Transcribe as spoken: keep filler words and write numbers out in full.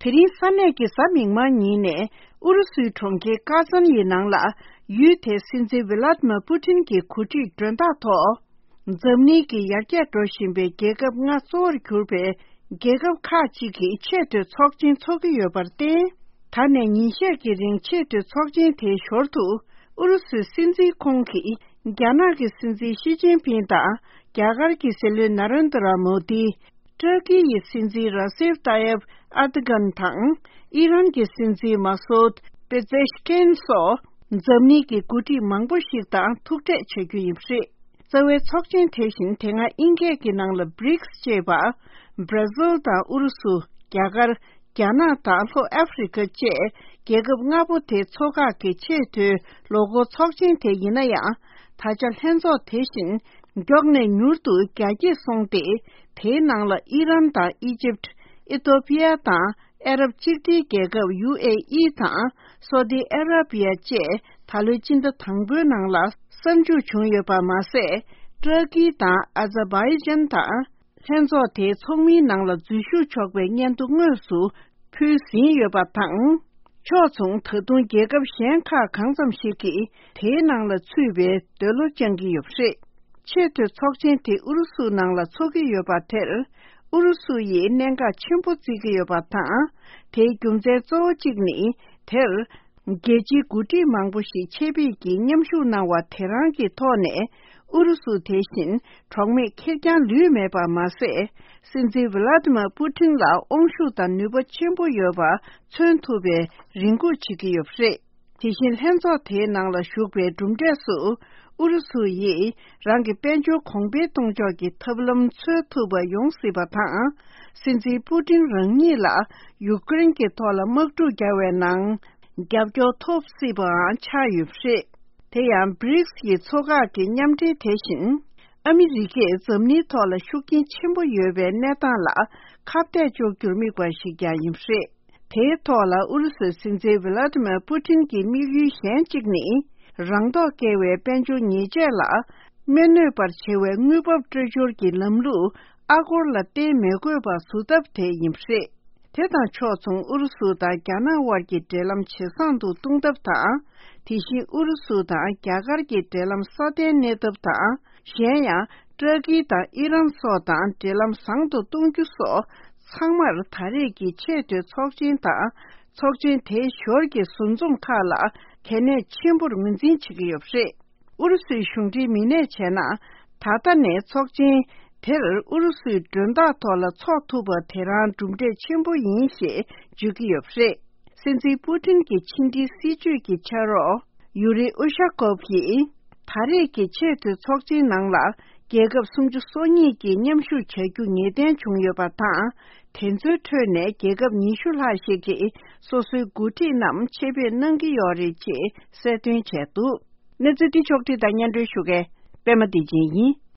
དེ་རིང་ས་གནས་ཀྱི་གཟའ་མིག་དམར་ཉིན་ནས་ཨུ་རུ་སུའི་གྲོང་ཁྱེར་ཀ་ཛན་ཡི་ནང་ལ། ཡུལ་དེའི་སྲིད་འཛིན་ཝི་ལ་ཏི་མ་པུ་ཏིན་གྱི་གོ་སྒྲིག་མགྲོན་བདག་ཐོག་འཛམ་གླིང་གི་ཡར་རྒྱས་འགྲོ་བཞིན་པའི་རྒྱལ་ཁབ་ལྔ་གཙོ་བོར་གྱུར་པའི་རྒྱལ་ཁབ་ཁག་ཅིག་གིས་ཆེས་མཐོའི་ཚོགས་ཆེན་འཚོགས་ཀྱི་ཡོད་པར་བརྟེན། ད་ནས་ཉིན་ཤས་ཀྱི་རིང་ཆེས་མཐོའི་ཚོགས་ཆེན་དེའི་ཞོར་དུ། ཨུ་རུ་སུའི་སྲིད་འཛིན་ཁོང་གིས་རྒྱ་ནག་གི་སྲིད་འཛིན་ཞི་ཅིན་ཕིང་དང་། རྒྱ་གར་གྱི་སྲིད་བློན་ན་རེན་དྲ་མོ་དི། ཏུར་ཀི་ཡི་སྲིད་འཛིན་ར་སེབ་ཏཱ་ཡེབ་ཨར་དོ་གྷན་དང་། ཨི་རན་གྱི་སྲིད་འཛིན་མ་སོད་པེ་ཛེ་ཤ་ཀན་སོགས། འཛམ་གླིང་གི་འགོ་ཁྲིད་མང་པོ་ཞིག་དང་ཐུག་འཕྲད་བྱ་རྒྱུ་ཡིན་པ་རེད། རྩ་བའི་ཚོགས་ཆེན་དེ་བཞིན་དེ་སྔ་དབྱིན་སྐད་ཀྱི་ནང་ལ་བྷི་རིག་སི་ཅེས་པ། བྷར་ཛིལ་དང་ཨུ་རུ་སུ། རྒྱ་གར། རྒྱ་ནག་དང་ལྷོ་ཨ་ཧྥེ་རི་ཁ་བཅས་རྒྱལ་ཁབ་ལྔ་པོ་དེ་ཚོ་ཁག་གི་ཆེས་མཐོའི་ལོ་འཁོར་ཚོགས་ཆེན་དེ་ཡིན་ན་ཡང་། ད་ཆ་ལྷན་ཚོགས་དེ་བཞིན་མགྱོགས་ནས་མྱུར་དུ་རྒྱ་སྐྱེད་སོང་སྟེ། དེའི་ནང་ལ་ཨི་རན་དང་ཨི་ཇིབ། ཨི་ཐོ་པི་ཡ་དང་ཨ་རབ་གཅིག་སྒྲིལ་རྒྱལ་ཁབ་ཡུ་ཨེ་ཨི་དང་སོ་ཏི་ཨ་ར་པི་ཡ་བཅས་ད་ལོའི་སྤྱི་ཟླ་དང་པོའི་ནང་ལ་གསར་འཇུག་བྱུང་ཡོད་པ་མ་ཟད། ཏུར་ཀི་དང་ཨ་ཛར་བྷའི་ཇན་དང་། ལྷན་ཚོགས་དེའི་ཚོགས་མིའི་ནང་ལ་འཛུལ་ཞུགས་ཆོག་པའི་སྙན་ཐོ་དངོས་སུ་ཕུལ་ཟིན་ཡོད་པ་དང་། ཕྱོགས་མཚུངས་ད་དུང་རྒྱལ་ཁབ་གཞན་ཁག་གང་ཙམ་ཞིག་གིས་དེའི་ནང་ལ་ཚུད་པའི་འདོད་བློ་བཅངས་ཀྱི་ཡོད་པ་རེད། ཆེས་མཐོའི་ཚོགས་ཆེན་དེ་ཨུ་རུ་སུ་ནང་ལ་འཚོགས་ཀྱི་ཡོད་པ་དེར། ཨུ་རུ་སུ་ཡིས་གནད་འགག་ཆེན་པོ་བརྩི་གི་ཡོད་པ་དང་། དེའི་རྒྱུ་མཚན་གཙོ་བོ་གཅིག་ནི། དེར། རྒྱལ་སྤྱིའི་འགོ་ཁྲིད་མང་པོ་ཞིག་ཆེད་ཕེབས་ཀྱིས་མཉམ་ཞུགས་གནང་བ་དེ་རང་གི་ཐོག་ནས། ཨུ་རུ་སུ་དེ་བཞིན་གྲོགས་མེད་ཁེར་རྐྱང་ལུས་མེད་པ་མ་ཟད། སྲིད་འཛིན་ཝི་ལ་ཏི་མ་པུ་ཏིན་ལ་དབང་ཤུགས་དང་ནུས་པ་ཆེན་པོ་ཡོད་པ་མཚོན་ཐུབ་པའི་རེ་སྒུག་བྱེད་ཀྱི་ཡོད་པ་རེད། དེ་བཞིན་ལྷན་ཚོགས་དེའི་ནང་ལ་ཞུགས་པའི་གྲུབ་འབྲས་སུ། ཨུ་རུ་སུ་ཡིས་རང་གི་དཔལ་འབྱོར་གོང་འཕེལ་གཏོང་ཕྱོགས་ཀྱི་ཐབས་ལམ་འཚོལ་ཐུབ་པ་ཡོང་སྲིད་པ་དང་། སྲིད་འཛིན་པུ་ཏིན་རང་ཉིད་ལ་ཡུཀ་རེན་གྱི་ཐོག་ལ་དམག་འཁྲུག་བརྒྱབ་པའི་ནང་། རྒྱབ་སྐྱོར་ཐོབ་སྲིད་པའང་ཆགས་ཡོད་པ་རེད། དེ་ཡང་བྷི་རིག་སི་ཡི་ཚོ་ཁག་གི་མཉམ་འབྲེལ་དེ་བཞིན། ཨ་མི་རི་ཀས་འཛམ་གླིང་ཐོག་ལ་ཤུགས་རྐྱེན་ཆེན་པོ་ཡོད་པའི་གནས་སྟངས་ལ་ཁ་གཏད་གཅོག་རྒྱུར་དམིགས་པ་ཞིག་ཀྱང་ཡིན་པ་རེད། དེའི་ཐོག་ལ་ཨུ་རུ་སུའི་སྲིད་འཛིན་ཝི་ལ་ཏི་མེར་པུ་ཏིན་གྱི་དམིགས་ཡུལ་གཞན་གཅིག་ནི། རང་ཐོག་བཀལ་བའི་དཔལ་འབྱོར་ཉེས་ཆད་ལ། མི་གནོད་པར་བྱེད་པའི་དངུལ་འབབ་སྤྲོད་སྦྱོར་གྱི་ལམ་ལུགས་ཨ་སྒོར་ལ་བརྟེན་མི་དགོས་པ་བཟོ་ཐབས་དེ་ཡིན་པ་རེད། དེ་དང་ཕྱོགས་མཚུངས་ཨུ་རུ་སུ་དང་རྒྱ་ནག་དབར་གྱི་འབྲེལ་ལམ་ཇེ་བཟང་དུ་གཏོང་ཐབས་དང་། དེ་བཞིན་ཨུ་རུ་སུ་དང་རྒྱ་གར་གྱི་འབྲེལ་ལམ་སྲ་བརྟན་གནས་ཐབས་དང་། གཞན་ཡང་ཏུར་ཀི་དང་ཨི་རན་སོགས་དང་འབྲེལ་ལམ་བཟང་དུ་གཏོང་རྒྱུ་སོགས་ཚང་མར་ད་རེས་ཀྱི་ཆེས་མཐོའི་ཚོགས་ཆེན་དང་ཚོགས་ཆེན་དེའི་ཞོར་གྱི་ཟུར་འཛོམས་ཁག་ལ་གལ་གནད་ཆེན་པོར་ངོས་འཛིན་བྱེད་ཀྱི་ཡོད་པ་རེད། ཨུ་རུ་སུའི་གཞུང་འབྲེལ་མི་སྣས་བྱས་ན། ད་ལྟ་ནས་ཚོགས་ཆེན་དེར་ཨུ་རུ་སུའི་མགྲོན་བདག་ཐོག་ལ་འཚོགས་ཐུབ་པ་དེ་རང་གྲུབ་འབྲས་ཆེན་པོ་ཡིན་ཞེས་བརྗོད་ཀྱི་ཡོད་པ་རེད། སྲིད་འཛིན་པུ་ཏིན་གྱི་ཕྱི་འབྲེལ་སྲིད་ཇུས་ཀྱི་ཕྱག་རོགས་ཡུ་རི་ཨུ་ཤ་ཀོབ་ཡིས། ད་རེས་ཀྱི་ཆེས་མཐོའི་ཚོགས་ཆེན་ནང་ལ་རྒྱལ་ཁབ་སུམ་ཅུ་སོ་གཉིས་ཀྱིས་མཉམ་ཞུགས་བྱ་རྒྱུ་ངེས་གཏན་བྱུང་ཡོད་པ་དང་། དེ་ཚོའི་ཁྲོད་ནས་རྒྱལ་ཁབ་ཉི་ཤུ་ལྷག་ཞིག་གིས་སོ་སོའི་འགོ་ཁྲིད་རྣམས་ཆེད་ཕེབས་གནང་གི་ཡོད་རེད་ཅེས་གསལ་སྟོན་བྱས་འདུག་གནས་ཚུལ་འདི་ཕྱོགས་བསྒྲིགས་དང་སྙན་སྒྲོན་ཞུ་མཁན་པད་མ་བདེ་ཆེན་ཡིན།